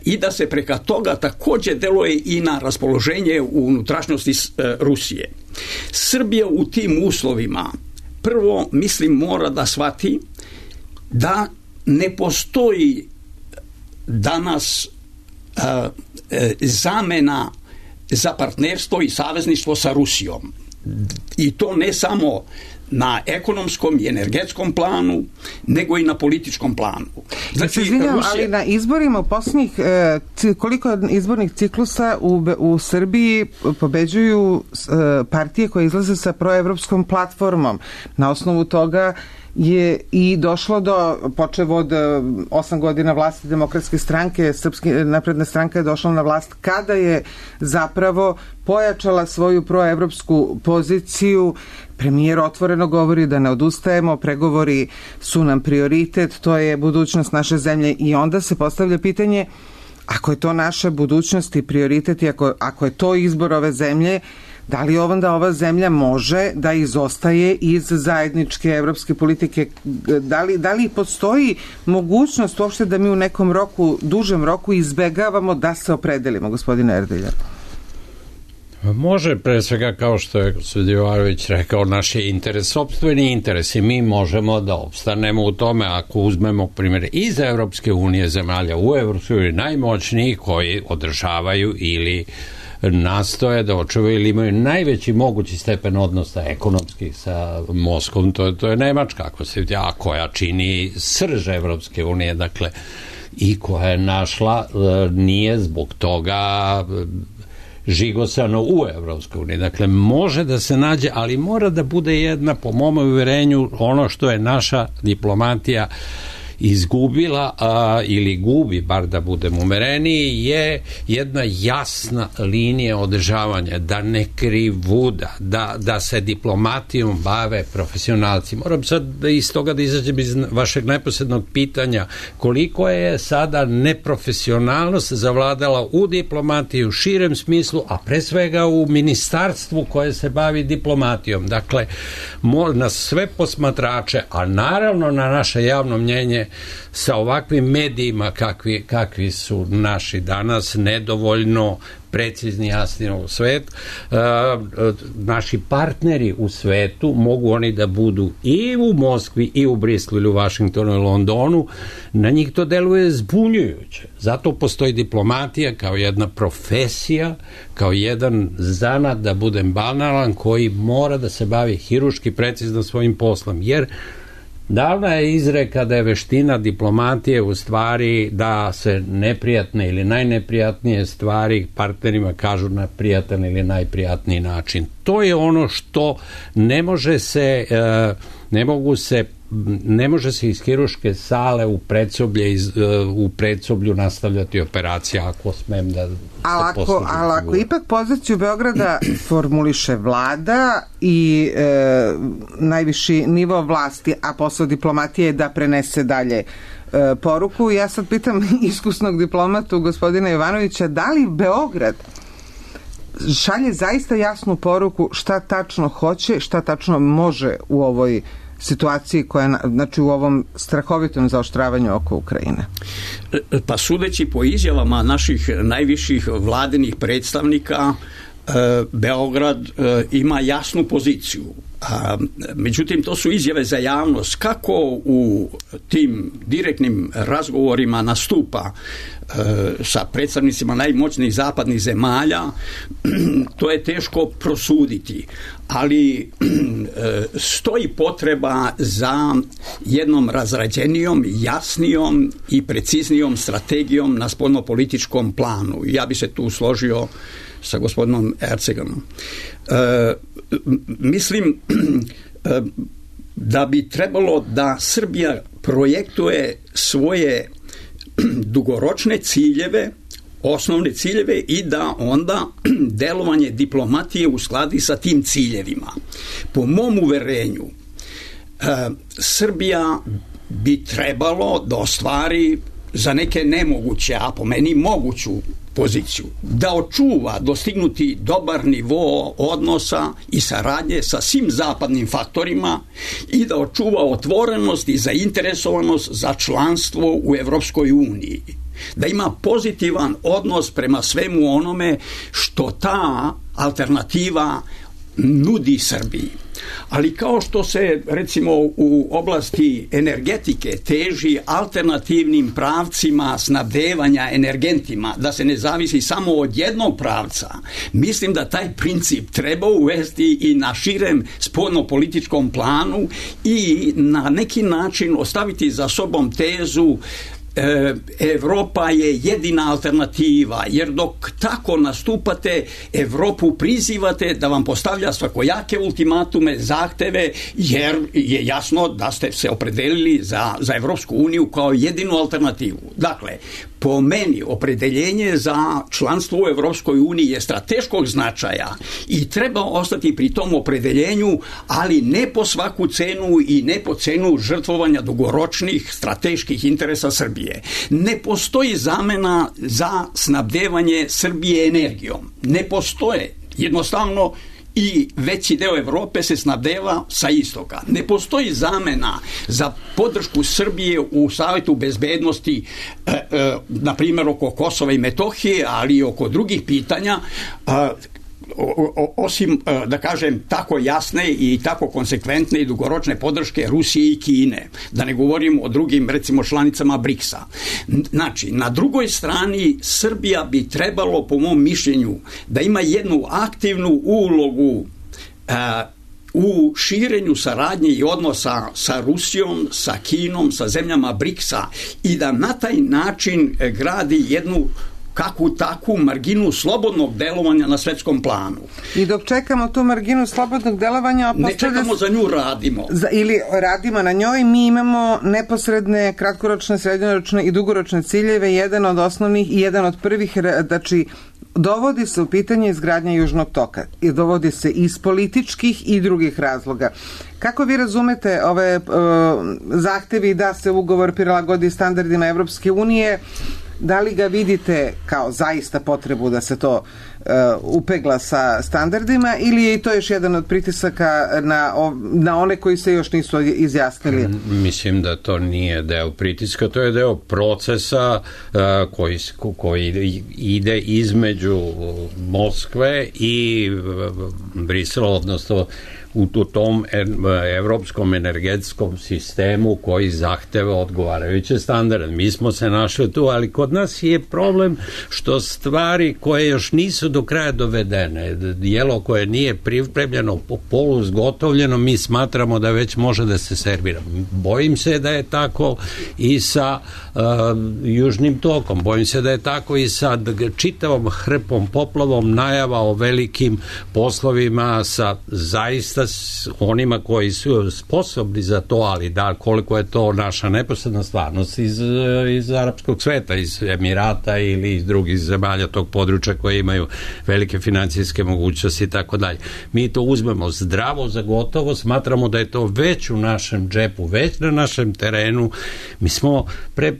i da se preka toga također deluje i na raspoloženje u unutrašnjosti Rusije. Srbija u tim uslovima prvo, mislim, mora da shvati da ne postoji danas uh, zamena za partnerstvo i savezništvo sa Rusijom. I to ne samo na ekonomskom i energetskom planu, nego i na političkom planu. Znači, izvinjam, Rusija... ali na izborima u posljednjih, koliko izbornih ciklusa u, u Srbiji pobeđuju partije koje izlaze sa proevropskom platformom. Na osnovu toga je i došlo do, počev od osam godina vlasti Demokratske stranke, Srpska napredna stranka je došla na vlast kada je zapravo pojačala svoju proevropsku poziciju. Premijer otvoreno govori da ne odustajemo, pregovori su nam prioritet, to je budućnost naše zemlje i onda se postavlja pitanje, ako je to naša budućnost i prioritet i ako, ako je to izbor ove zemlje, da li onda ova zemlja može da izostaje iz zajedničke evropske politike? Da li, da li postoji mogućnost uopšte da mi u nekom roku, dužem roku izbegavamo da se opredelimo, gospodine Erdelja? Može, pre svega, kao što je Sudjevarović rekao, naš je interes, sopstveni interes i mi možemo da opstanemo u tome ako uzmemo primjer iz Evropske unije, zemalja u Evropskoj uniji najmoćniji koji održavaju ili nastoje da očuvaju ili imaju najveći mogući stepen odnosa ekonomskih sa Moskvom, to je, to je Nemačka, ako se, a koja čini srž Evropske unije, dakle, i koja je našla, nije zbog toga žigosano u Evropskoj uniji. Dakle, može da se nađe, ali mora da bude jedna, po mom uvjerenju, ono što je naša diplomatija izgubila a, ili gubi, bar da budem umereniji, je jedna jasna linija održavanja, da ne krivuda, da, da se diplomatijom bave profesionalci. Moram sad da iz toga da izađem iz vašeg neposrednog pitanja, koliko je sada neprofesionalnost zavladala u diplomatiji u širem smislu, a pre svega u ministarstvu koje se bavi diplomatijom. Dakle, na sve posmatrače, a naravno na naše javno mnjenje sa ovakvim medijima kakvi, kakvi su naši danas, nedovoljno precizni, jasni u svetu, e, naši partneri u svetu mogu oni da budu i u Moskvi i u Brislu ili u Vašingtonu i Londonu, na njih to deluje zbunjujuće. Zato postoji diplomatija kao jedna profesija, kao jedan zanat, da budem banalan, koji mora da se bavi hiruški precizno svojim poslom, jer davna je izreka da je veština diplomatije u stvari da se neprijatne ili najneprijatnije stvari partnerima kažu na prijatan ili najprijatniji način. To je ono što ne može se, ne mogu se ne može se iz hiruške sale u predsoblje iz, u predsoblju nastavljati operacija, ako smem da se poslužim. Ali ako ipak poziciju Beograda formuliše vlada i e, najviši nivo vlasti, a posao diplomatije je da prenese dalje e, poruku, ja sad pitam iskusnog diplomatu gospodina Jovanovića, da li Beograd šalje zaista jasnu poruku šta tačno hoće, šta tačno može u ovoj situaciji koja, znači u ovom strahovitom zaoštravanju oko Ukrajine? Pa sudeći po izjavama naših najviših vladinih predstavnika, Beograd ima jasnu poziciju. A, međutim, to su izjave za javnost. Kako u tim direktnim razgovorima nastupa e, sa predstavnicima najmoćnijih zapadnih zemalja, to je teško prosuditi. Ali e, stoji potreba za jednom razrađenijom, jasnijom i preciznijom strategijom na spoljnopolitičkom planu. Ja bi se tu složio sa gospodinom Erceganom. E, mislim e, da bi trebalo da Srbija projektuje svoje dugoročne ciljeve, osnovne ciljeve, i da onda delovanje diplomatije uskladi sa tim ciljevima. Po mom uverenju, e, Srbija bi trebalo da ostvari za neke nemoguće, a po meni moguću poziciju, da očuva dostignuti dobar nivo odnosa i saradnje sa svim zapadnim faktorima i da očuva otvorenost i zainteresovanost za članstvo u Evropskoj uniji. Da ima pozitivan odnos prema svemu onome što ta alternativa nudi Srbiji. Ali kao što se recimo u oblasti energetike teži alternativnim pravcima snabdevanja energentima, da se ne zavisi samo od jednog pravca, mislim da taj princip treba uvesti i na širem spoljnopolitičkom planu i na neki način ostaviti za sobom tezu Evropa je jedina alternativa, jer dok tako nastupate, Evropu prizivate da vam postavlja svakojake ultimatume, zahteve, jer je jasno da ste se opredelili za, za Evropsku uniju kao jedinu alternativu. Dakle, po meni opredeljenje za članstvo u Evropskoj uniji je strateškog značaja i treba ostati pri tom opredeljenju, ali ne po svaku cenu i ne po cenu žrtvovanja dugoročnih strateških interesa Srbije. Ne postoji zamena za snabdevanje Srbije energijom. Ne postoje. Jednostavno i veći deo Evrope se snabdeva sa istoka. Ne postoji zamena za podršku Srbije u Savetu bezbednosti, e, e, na primjer oko Kosova i Metohije, ali i oko drugih pitanja, e, O, o, osim, da kažem, tako jasne i tako konsekventne i dugoročne podrške Rusije i Kine. Da ne govorim o drugim, recimo, članicama briksa. Znači, na drugoj strani Srbija bi trebalo, po mom mišljenju, da ima jednu aktivnu ulogu a, u širenju saradnje i odnosa sa Rusijom, sa Kinom, sa zemljama briksa i da na taj način gradi jednu kakvu takvu marginu slobodnog delovanja na svetskom planu. I dok čekamo tu marginu slobodnog delovanja... Ne čekamo, za nju radimo. Za, ili radimo na njoj, mi imamo neposredne, kratkoročne, srednjoročne i dugoročne ciljeve, jedan od osnovnih i jedan od prvih, znači, dovodi se u pitanje izgradnja Južnog toka i dovodi se iz političkih i drugih razloga. Kako vi razumete ove uh, zahtevi da se ugovor prilagodi standardima Evropske unije? Da li ga vidite kao zaista potrebu da se to uh, upegla sa standardima ili je i to još jedan od pritisaka na, na one koji se još nisu izjasnili? Mislim da to nije deo pritiska, to je deo procesa uh, koji, koji ide između Moskve i Brisela, odnosno u tom evropskom energetskom sistemu koji zahteva odgovarajuće standarde. Mi smo se našli tu, ali kod nas je problem što stvari koje još nisu do kraja dovedene, jelo koje nije pripremljeno, polu zgotovljeno, mi smatramo da već može da se servira. Bojim se da je tako i sa uh, Južnim tokom, bojim se da je tako i sa čitavom hrpom, poplavom najava o velikim poslovima sa zaista onima koji su sposobni za to, ali da, koliko je to naša neposredna stvarnost iz, iz arapskog sveta, iz Emirata ili iz drugih zemalja tog područja koje imaju velike financijske mogućnosti i tako dalje. Mi to uzmemo zdravo za gotovo, smatramo da je to već u našem džepu, već na našem terenu. Mi smo pre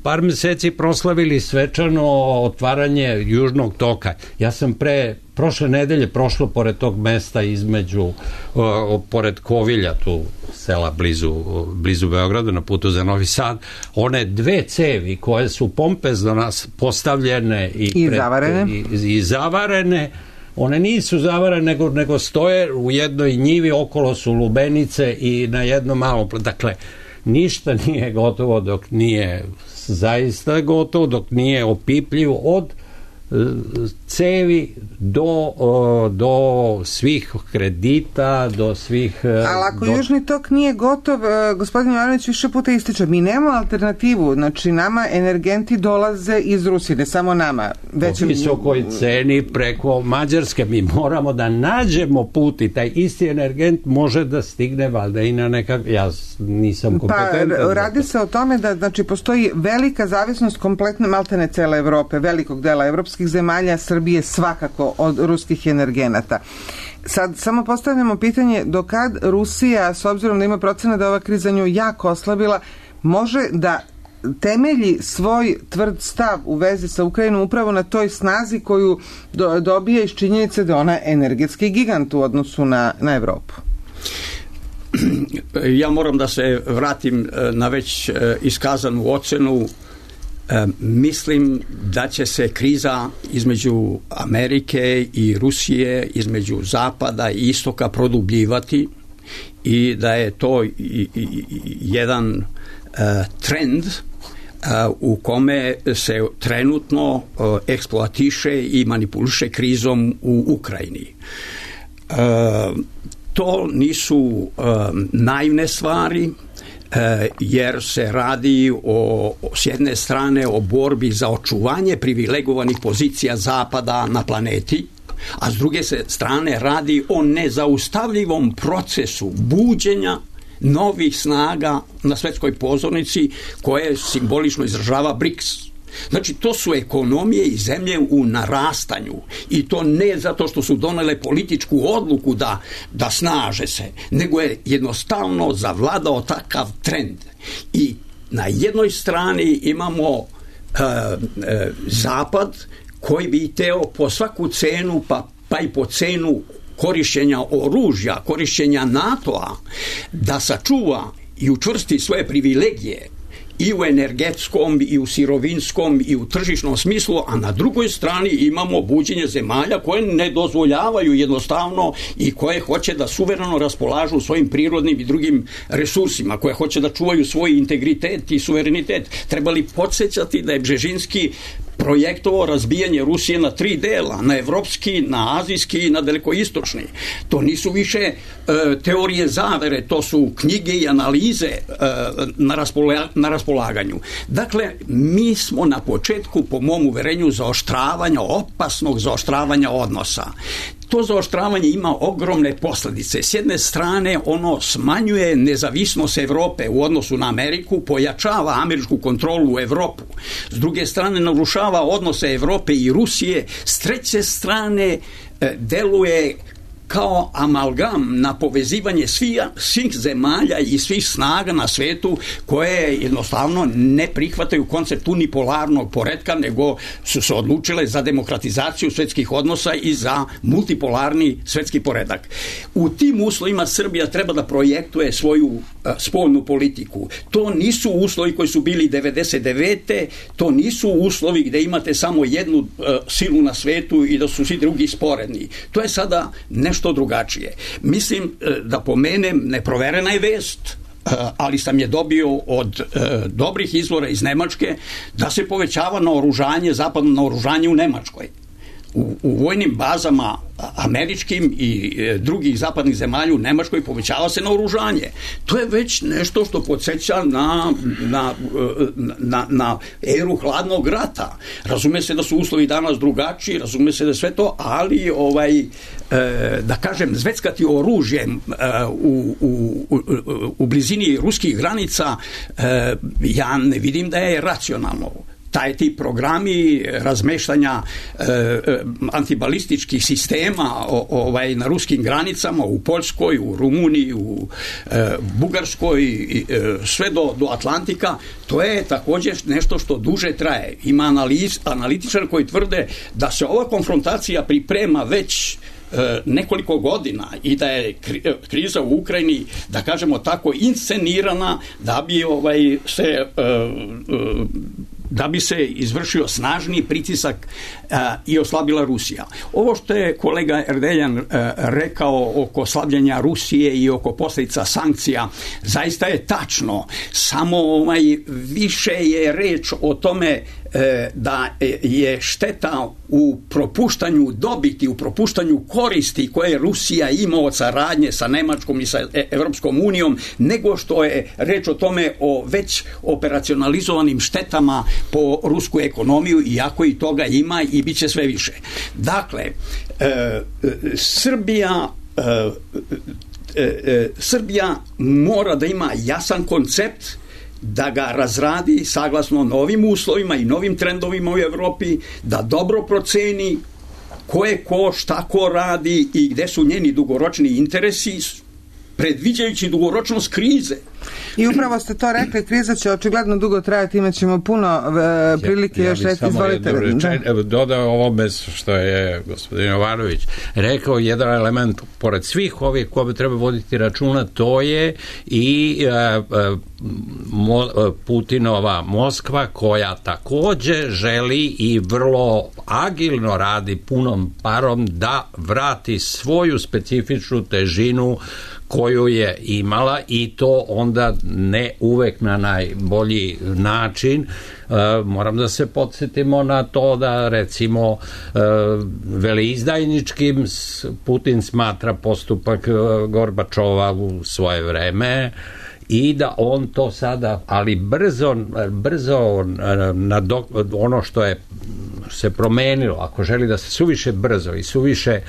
par meseci proslavili svečano otvaranje Južnog toka. Ja sam pre prošle nedelje prošlo pored tog mesta između, uh, pored Kovilja, tu sela blizu, blizu Beograda, na putu za Novi Sad, one dve cevi koje su pompezno nas postavljene i, I pred, zavarene. I, i zavarene, one nisu zavarene, nego, nego stoje u jednoj njivi, okolo su lubenice i na jednom malom, dakle, ništa nije gotovo dok nije zaista gotovo, dok nije opipljivo od cevi do, do svih kredita, do svih... Ali ako do... Južni tok nije gotov, gospodin Jovanović više puta ističe, mi nemamo alternativu, znači nama energenti dolaze iz Rusije, ne samo nama. Već... Po visokoj ceni preko Mađarske, mi moramo da nađemo put i taj isti energent može da stigne valjda i na nekak... Ja nisam kompetentan. Pa radi se o tome da znači, postoji velika zavisnost kompletne maltene cele Evrope, velikog dela evropskih zemalja, Srbije svakako od ruskih energenata. Sad samo postavljamo pitanje do kad Rusija, s obzirom da ima procena da ova kriza nju jako oslabila, može da temelji svoj tvrd stav u vezi sa Ukrajinom upravo na toj snazi koju do, dobije iz činjenice da ona je energetski gigant u odnosu na, na Evropu. Ja moram da se vratim na već iskazanu ocenu mislim da će se kriza između Amerike i Rusije, između Zapada i Istoka produbljivati i da je to jedan trend u kome se trenutno eksploatiše i manipuliše krizom u Ukrajini. To nisu naivne stvari, jer se radi o, s jedne strane o borbi za očuvanje privilegovanih pozicija Zapada na planeti, a s druge se strane radi o nezaustavljivom procesu buđenja novih snaga na svetskoj pozornici koje simbolično izražava BRICS. Znači, to su ekonomije i zemlje u narastanju i to ne zato što su donele političku odluku da, da snaže se, nego je jednostavno zavladao takav trend. I na jednoj strani imamo uh, uh, Zapad koji bi hteo po svaku cenu, pa, pa i po cenu korišćenja oružja, korišćenja NATO-a, da sačuva i učvrsti svoje privilegije i u energetskom, i u sirovinskom, i u tržišnom smislu, a na drugoj strani imamo buđenje zemalja koje ne dozvoljavaju jednostavno i koje hoće da suvereno raspolažu svojim prirodnim i drugim resursima, koje hoće da čuvaju svoj integritet i suverenitet. Trebali podsjećati da je Bžežinski projektovao razbijanje Rusije na tri dela, na evropski, na azijski i na dalekoistočni. To nisu više e, teorije zavere, to su knjige i analize e, na, raspola, na raspolaganju. Dakle, mi smo na početku, po mom uverenju, zaoštravanja, opasnog zaoštravanja odnosa. To zaoštravanje ima ogromne posljedice. S jedne strane, ono smanjuje nezavisnost Evrope u odnosu na Ameriku, pojačava američku kontrolu u Evropu. S druge strane, narušava odnose Evrope i Rusije. S treće strane, deluje kao amalgam na povezivanje svih, svih zemalja i svih snaga na svetu koje jednostavno ne prihvataju koncept unipolarnog poretka, nego su se odlučile za demokratizaciju svetskih odnosa i za multipolarni svetski poredak. U tim uslovima Srbija treba da projektuje svoju uh, spoljnu politiku. To nisu uslovi koji su bili devedeset devete. To nisu uslovi gde imate samo jednu uh, silu na svetu i da su svi drugi sporedni. To je sada nešto drugačije. Mislim da pomenem, neproverena je vest, ali sam je dobio od e, dobrih izvora iz Nemačke, da se povećava naoružanje, zapadno naoružanje u Nemačkoj. U, u vojnim bazama američkim i e, drugih zapadnih zemalja u Nemačkoj povećava se naoružanje. To je već nešto što podsjeća na, na, na, na eru hladnog rata. Razume se da su uslovi danas drugačiji, razume se da sve to, ali ovaj, e, da kažem, zveckati oružjem e, u, u, u, u blizini ruskih granica, e, ja ne vidim da je racionalno. Taj ti programi razmeštanja e, antibalističkih sistema o, ovaj, na ruskim granicama u Poljskoj, u Rumuniji, u e, Bugarskoj, e, sve do, do Atlantika, to je također nešto što duže traje. Ima analiz, analitičar koji tvrde da se ova konfrontacija priprema već nekoliko godina i da je kriza u Ukrajini, da kažemo tako, inscenirana da bi ovaj se da bi se izvršio snažni pritisak a, i oslabila Rusija. Ovo što je kolega Erdeljan a, rekao oko slabljenja Rusije i oko posljedica sankcija, zaista je tačno, samo ovaj, više je reč o tome da je šteta u propuštanju dobiti, u propuštanju koristi koje Rusija ima od saradnje sa Nemačkom i sa Evropskom unijom, nego što je reč o tome o već operacionalizovanim štetama po rusku ekonomiju, iako i toga ima i bit će sve više. Dakle, e, Srbija e, e, Srbija mora da ima jasan koncept, da ga razradi saglasno novim uslovima i novim trendovima u Evropi, da dobro proceni ko je ko, šta ko radi i gde su njeni dugoročni interesi predviđajući dugoročnost krize. I upravo ste to rekli, kriza će očigledno dugo trajati, imat ćemo puno e, prilike ja, još reći, izvolite. Da. Dodao ovome što je gospodin Jovanović rekao, jedan element, pored svih ovih koje treba voditi računa, to je i e, e, Mo, Putinova Moskva, koja takođe želi i vrlo agilno radi punom parom da vrati svoju specifičnu težinu koju je imala, i to onda ne uvek na najbolji način. E, moram da se podsjetimo na to da recimo e, veleizdajničkim Putin smatra postupak Gorbačova u svoje vreme, i da on to sada, ali brzo, brzo nadok, ono što je se promenilo, ako želi da se suviše brzo i suviše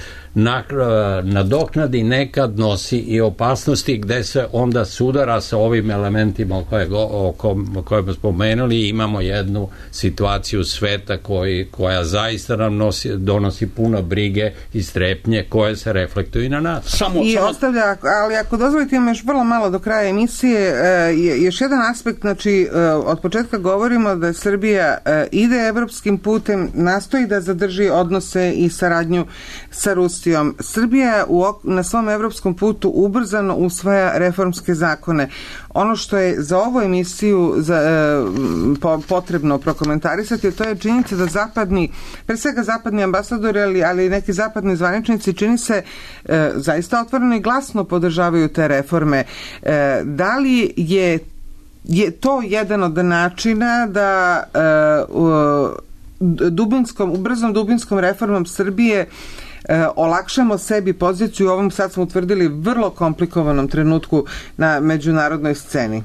nadoknadi, nekad nosi i opasnosti gde se onda sudara sa ovim elementima koje, o koje smo spomenuli. Imamo jednu situaciju sveta koji, koja zaista nam nosi, donosi puno brige i strepnje koje se reflektuju i na nas. Samo, I samo... ostavlja, ali ako dozvolite, imamo još vrlo malo do kraja emisije, je, još jedan aspekt, znači od početka govorimo da Srbija ide evropskim putem, nastoji da zadrži odnose i saradnju sa Rusijom. Srbija u, na svom evropskom putu ubrzano usvaja reformske zakone. Ono što je za ovu emisiju za, e, po, potrebno prokomentarisati, to je činjenica da zapadni, pre svega zapadni ambasadori, ali, ali i neki zapadni zvaničnici, čini se e, zaista otvoreno i glasno podržavaju te reforme. E, da li je, je to jedan od načina da e, u, dubinskom, ubrzom dubinskom reformom Srbije E, olakšamo sebi poziciju u ovom, sad smo utvrdili, vrlo komplikovanom trenutku na međunarodnoj sceni?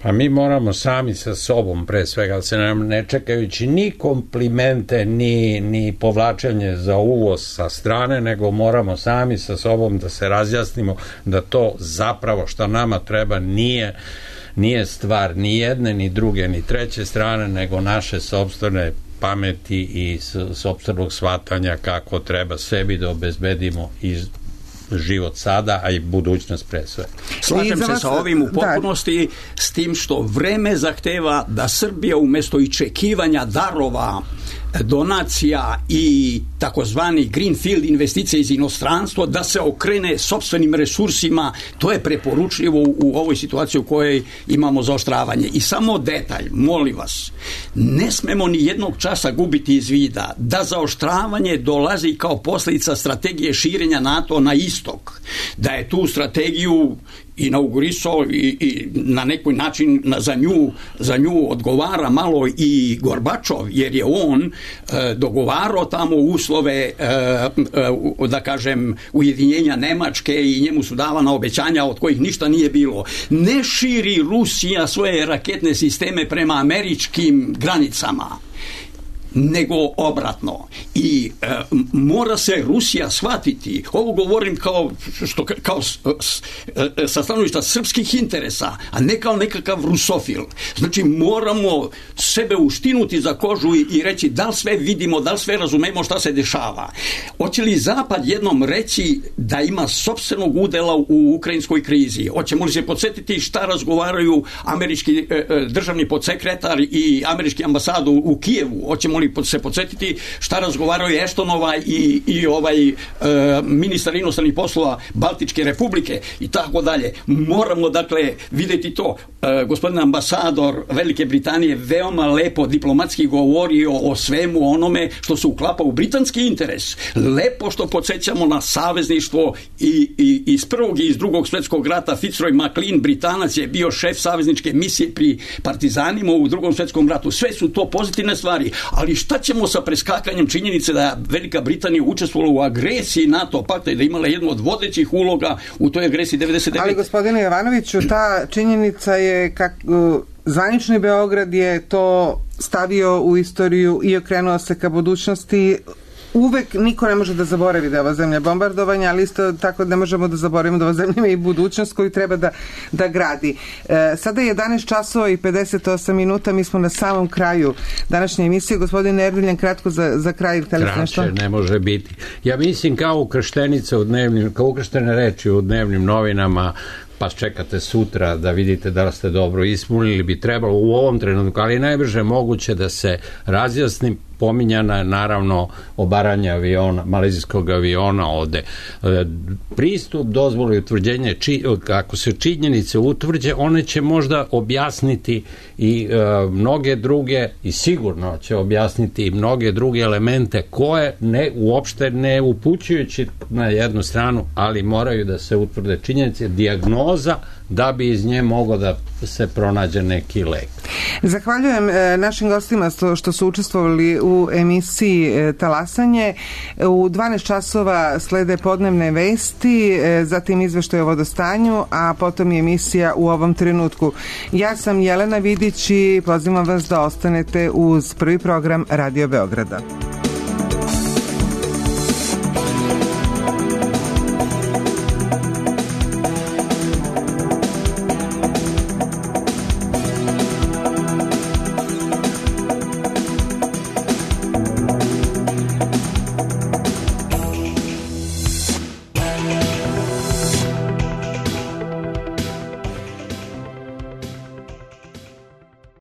Pa mi moramo sami sa sobom, pre svega, se nam ne čekajući ni komplimente, ni, ni povlačenje za uvoz sa strane, nego moramo sami sa sobom da se razjasnimo da to zapravo što nama treba nije nije stvar ni jedne, ni druge, ni treće strane, nego naše sopstvene pameti i sopstvenog shvatanja kako treba sebi da obezbedimo i život sada, a i budućnost pre sve. Slažem se sa ovim u potpunosti, da. S tim što vreme zahteva da Srbija umesto iščekivanja darova, donacija i takozvani greenfield investicije iz inostranstva, da se okrene sopstvenim resursima. To je preporučljivo u ovoj situaciji u kojoj imamo zaoštravanje. I samo detalj, molim vas, ne smemo ni jednog časa gubiti iz vida da zaoštravanje dolazi kao posljedica strategije širenja NATO na istok, da je tu strategiju inaugurisao i, i na neki način za nju, za nju odgovara malo i Gorbačov, jer je on e, dogovarao tamo uslove e, e, da kažem ujedinjenja Nemačke i njemu su davana obećanja od kojih ništa nije bilo. Ne širi Rusija svoje raketne sisteme prema američkim granicama, nego obratno. I e, mora se Rusija shvatiti, ovo govorim kao, što, kao s, s, sa stanovišta srpskih interesa, a ne kao nekakav rusofil. Znači moramo sebe uštinuti za kožu i, i reći da li sve vidimo, da li sve razumemo šta se dešava. Hoće li Zapad jednom reći da ima sopstvenog udela u ukrajinskoj krizi? Hoćemo li se podsjetiti šta razgovaraju američki e, državni podsekretar i američki ambasad u, u Kijevu? Hoćemo li se podsjetiti šta razgovaraju Eštonova i, i ovaj e, ministar inostranih poslova Baltičke republike i tako dalje. Moramo dakle vidjeti to. E, gospodin ambasador Velike Britanije veoma lepo diplomatski govorio o svemu onome što se uklapa u britanski interes. Lepo što podsjećamo na savezništvo i, i iz prvog i iz drugog svjetskog rata. Fitzroy McLean, Britanac, je bio šef savezničke misije pri partizanima u drugom svjetskom ratu. Sve su to pozitivne stvari, ali šta ćemo sa preskakanjem činjenice da Velika Britanija učestvovala u agresiji NATO pakta i da imala jednu od vodećih uloga u toj agresiji devedeset devete. Ali gospodine Jovanoviću, ta činjenica je kak, zvanični Beograd je to stavio u istoriju i okrenuo se ka budućnosti uvek niko ne može da zaboravi da je ova zemlja bombardovanja, ali isto tako ne možemo da zaboravimo da ova zemlja ima i budućnost koju treba da, da gradi. E, sada je jedanaest časova i pedeset osam minuta, mi smo na samom kraju današnje emisije. Gospodin Erduljan, kratko za, za kraj. Kraće ne može biti. Ja mislim kao ukrštenica u dnevnim, kao ukrštene reči u dnevnim novinama, pa čekate sutra da vidite da li ste dobro ispunili, bi trebalo u ovom trenutku, ali najbrže moguće da se razjasni. Pominjana je naravno obaranje aviona, malezijskog aviona ovde. Pristup, dozvolu i utvrđenje, či, ako se činjenice utvrđe, one će možda objasniti i e, mnoge druge, i sigurno će objasniti i mnoge druge elemente koje ne, uopšte ne upućujući na jednu stranu, ali moraju da se utvrde činjenice, dijagnoza, da bi iz nje moglo da se pronađe neki lek. Zahvaljujem e, našim gostima što, što su učestvovali u emisiji e, Talasanje. U dvanaest časova slede podnevne vesti, e, zatim izveštaj o vodostanju, a potom je emisija U ovom trenutku. Ja sam Jelena Vidić i pozivam vas da ostanete uz prvi program Radio Beograda.